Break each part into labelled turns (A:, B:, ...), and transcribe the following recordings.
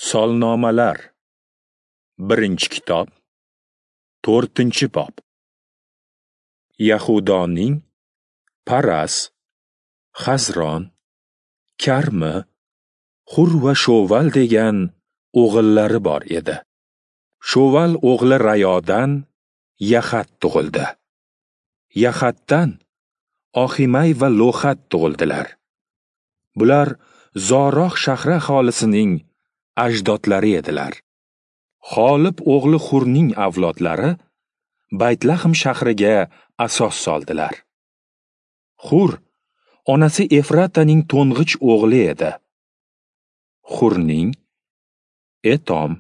A: Solnomalar, 1-kitob, 4-bob. Yahudoning Paras, Xazron, Karmi, Xur va Shoval degan o'g'illari bor edi. Shoval o'g'li Rayodan Yahat tug'ildi. Yahatdan Oximay va Lohat tug'ildilar. Bular Zoroh shahri aholisining ajdodlari edilar. Xolib o'g'li Xurning avlodlari Baytlahm shahriga asos soldilar. Xur onasi Efrataning to'ng'ich o'g'li edi. Xurning Etom,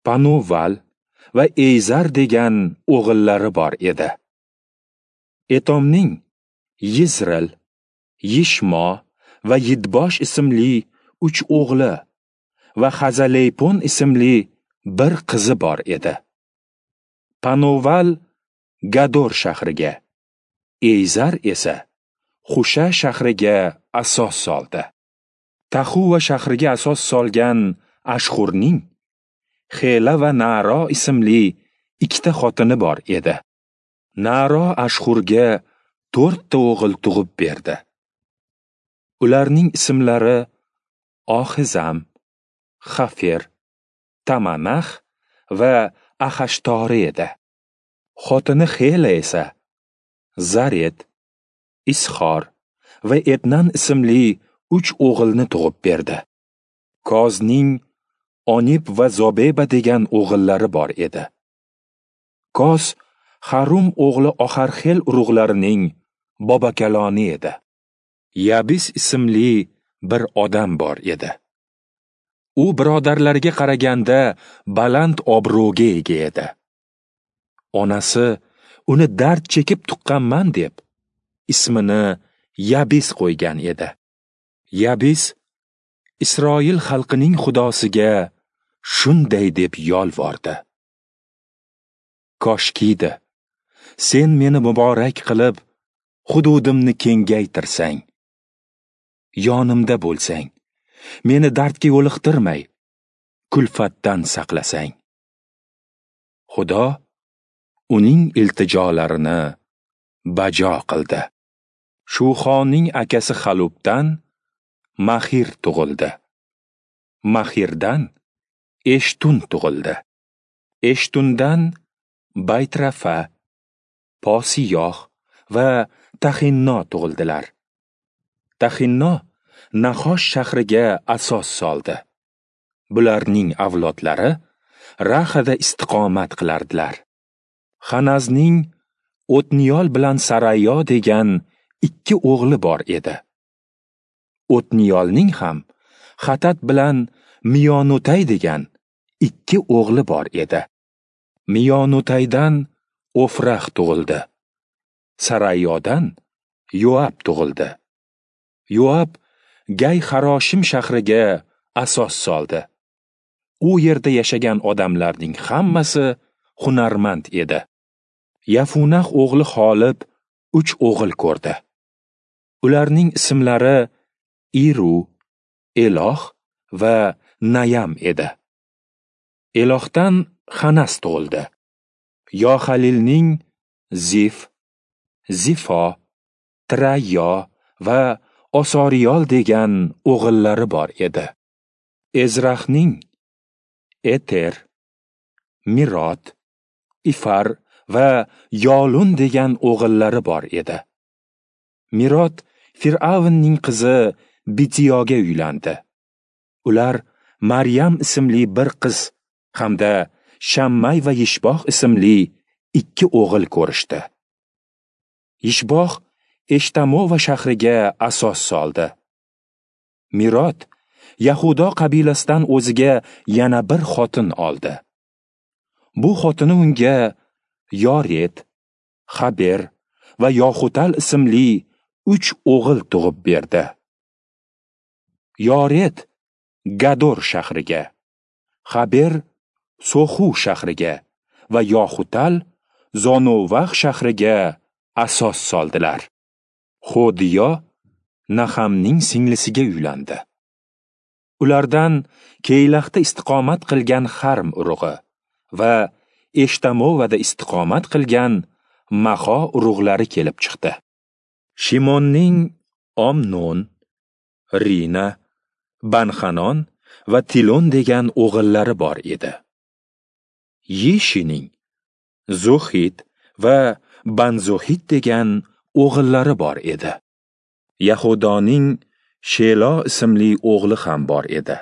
A: Panoval va Eyzar degan o'g'illari bor edi. Etomning Yizril, Yishmo va Yidbosh ismli 3 o'g'li va Xazaleypon ismli bir qizi bor edi. Panoval Gador shahriga, Eyzar esa Xusha shahriga asos soldi. Tahuva shahriga asos solgan Ashxurning Xela va Naro ismli 2 xotini bor edi. Naro Ashxurga 4 ta o'g'il tug'ib berdi. Ularning ismlari Oxizam, Xafer, Tamanax va Axashtori edi. Xotini Xela esa Zaret, Isxor va Etnan ismli 3 o'g'ilni tug'ib berdi. Kozning Onib va Zobeba degan o'g'illari bor edi. Koz Harum o'g'li Oharxel urug'larining bobokaloni edi. Yabis ismli bir odam bor edi. U birodarlariga qaraganda baland obro'ga ega edi. Onasi uni dard chekib tuqqanman deb ismini Yabis qo'ygan edi. Yabis Isroil xalqining xudosiga shunday deb yolvordi: Koshkiydi, sen meni muborak qilib, hududimni kengaytirsang, yonimda bo'lsang, meni dardga yo'liqtirmay, kulfatdan saqlasang. Xudo uning iltijolarini bajo qildi. Shuxoning akasi Xalubdan Maxir tug'ildi. Maxirdan Eshtun tug'ildi. Eshtundan Baytrafa, Posiyoh va Taxinno tug'ildilar. Taxinno Nahosh shahriga asos soldi. Bularning avlodlari Rahada istiqomat qilardilar. Xanazning O'tniyol bilan Sarayo degan 2 o'g'li bor edi. O'tniyolning ham Xatat bilan Miyonutay degan 2 o'g'li bor edi. Miyonutaydan Ofrax tug'ildi. Sarayodan Yoab tug'ildi. Yoab Gay Xaroshim shahriga asos soldi. U yerda yashagan odamlarning hammasi hunarmand edi. Yafunax o'g'li Xolib 3 o'g'il ko'rdi. Ularning ismlari Iru, Eloh va Nayam edi. Elohdan Xanas tug'ildi. Yohalilning Zif, Zifo, Trayyo va Osoriyol degan o'g'illari bor edi. Ezrahning Eter, Mirot, Ifar va Yolun degan o'g'illari bor edi. Mirot Fir'avnning qizi Bitiyoga uylandi. Ular Maryam ismli bir qiz hamda Shammay va Yishboh ismli 2 o'g'il ko'rishdi. Yishboh Eshtamova shahriga asos soldi. Mirot Yahudo qabilasidan o'ziga yana bir xotin oldi. Bu xotini unga Yoret, Xaber va Yoxutal ismli 3 o'g'il tug'ib berdi. Yoret Gador shahriga, Xaber Soxu shahriga va Yoxutal Zonovax shahriga asos soldilar. Xodiyo Nahamning singlisiga uylandi. Ulardan Keylaxda istiqomat qilgan Xarm urug'i va Eshtamovada istiqomat qilgan Maho urug'lari kelib chiqdi. Shimonning Omnon, Rina, Banxanon va Tilon degan o'g'illari bor edi. Yishining Zuhid va Banzuhid degan o'g'illari bor edi. Yahudoning Shelo ismli o'g'li ham bor edi.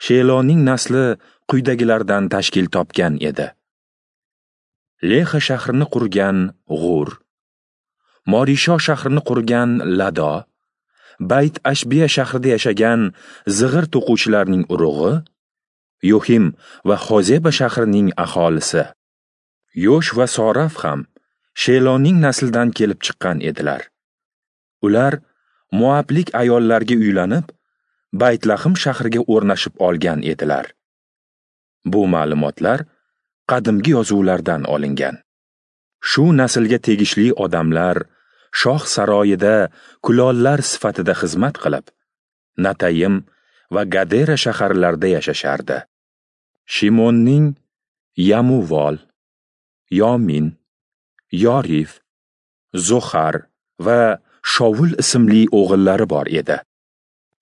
A: Sheloning nasli quyidagilardan tashkil topgan edi. Lexa shahrini qurgan G'ur, Morisho shahrini qurgan Lado, Bayt Ashbiya shahrida yashagan zig'ir to'quvchilarning urug'i, Yohim va Xozeba shahrining aholisi. Yosh va Soraf ham Sheloning naslidan kelib chiqqan edilar. Ular Moablik ayollarga uylanib, Baytlahm shahriga o'rnashib olgan edilar. Bu ma'lumotlar qadimgi yozuvlardan olingan. Shu naslga tegishli odamlar shoh saroyida kulollar sifatida xizmat qilib, Natayim va Gadera shaharlarida yashashardi. Shimonning Yamuvol, Yomin, Yorif, Zohar va Shovul ismli o'g'illari bor edi.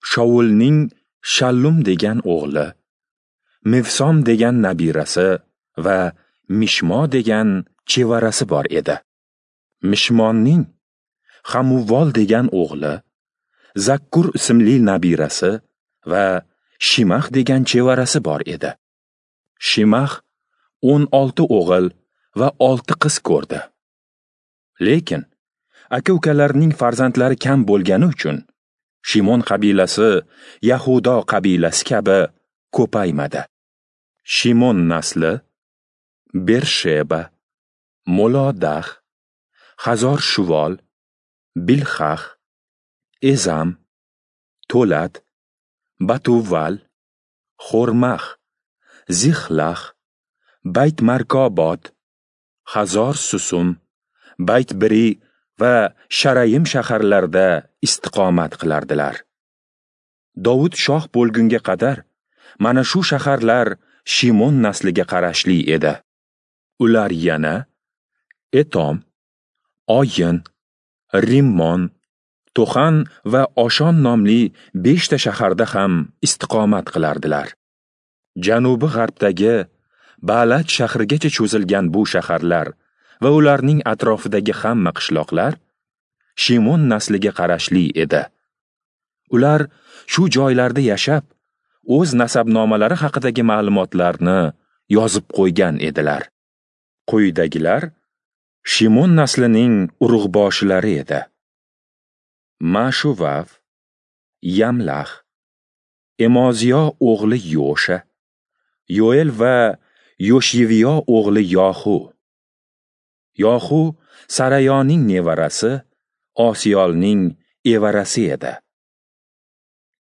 A: Shovulning Shallum degan o'g'li, Mivsom degan nabirasi va Mishmo degan chevarasi bor edi. Mishmonning Hamuvol degan o'g'li, Zakkur ismli nabirasi va Shimax degan chevarasi bor edi. Shimax 16 o'g'il va 6 qiz ko'rdi. Lekin aka-ukalarining farzandlari kam bo'lgani uchun Shimon qabilasi Yahudo qabilasi kabi ko'paymadi. Shimon nasli Bersheba, Molodah, Hazor Shuvol, Bilxax, Ezam, Tolat, Batuval, Xormax, Zixlax, Bayt Markobot, Hazor Susum, Bayt Biri va Sharayim shaharlarida istiqomat qilardilar. Dovud shoh bo'lgunga qadar mana shu shaharlar Shimon nasliga qarashli edi. Ular yana Etom, Oyin, Rimmon, To'xan va Oshon nomli 5 ta shaharda ham istiqomat qilardilar. Janubi g'arbdagi Baalat shahrigacha cho'zilgan bu shaharlar va ularning atrofidagi hamma qishloqlar Shimon nasliga qarashli edi. Ular shu joylarda yashab, o'z nasabnomalari haqidagi ma'lumotlarni yozib qo'ygan edilar. Quyidagilar Shimon naslining urug'boshilari edi. Mashuvav, Yamlax, Emoziyo o'g'li Yosha, Yoel va Yoshyeviyo o'g'li Yohu. Yohu Sarayoning nevarasi, Osiyolning evarasi edi.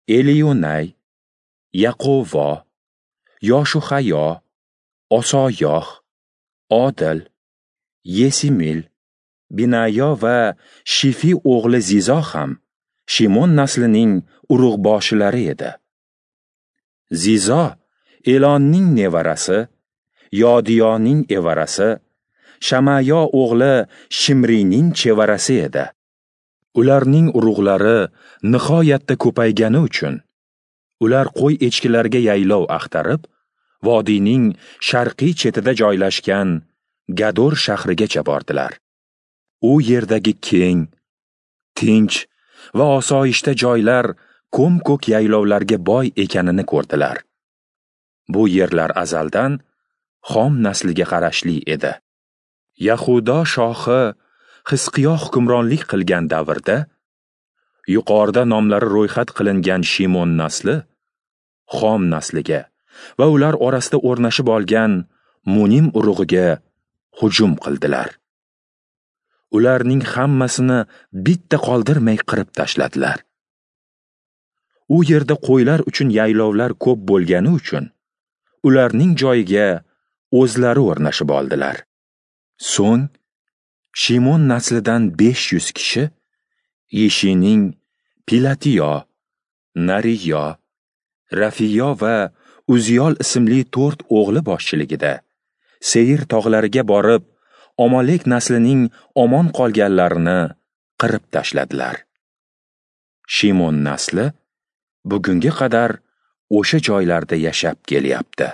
A: Eliyunay, Yaqovo, Yoshuhayo, Osoyoh, Odil, Yesimil, Binayo va Shifi o'g'li Zizo ham Shimon naslining urug'boshilari edi. Zizo Elonning nevarasi, Yodiyoning evarasi, Shamayo o'g'li Shimrining chevarasi edi. Ularning urug'lari nihoyatda ko'paygani uchun ular qo'y echkilarga yaylov axtarib, vodiyning sharqiy chetida joylashgan Gador shahrigacha bordilar. U yerdagi keng, tinch va osoyishta joylar ko'm-ko'k yaylovlarga boy ekanini ko'rdilar. Bu yerlar azaldan Xom nasliga qarashli edi. Yahudo shohi Xizqiyo hukmronlik qilgan davrda yuqorida nomlari ro'yxat qilingan Shimon nasli Xom nasliga va ular orasida o'rnashib olgan Munim urug'iga hujum qildilar. Ularning hammasini bitta qoldirmay qirib tashladilar. U yerda qo'ylar uchun yaylovlar ko'p bo'lgani uchun ularning joyiga o'zlari o'rnashib oldilar. So'ng Shimon naslidan 500 kishi Yeshining Pilatiyo, Nariyo, Rafiyo va Uziyol ismli 4 o'g'li boshchiligida Seir tog'lariga borib, Amalek naslining omon qolganlarini qirib tashladilar. Shimon nasli bugunga qadar o'sha joylarda yashab kelyapti.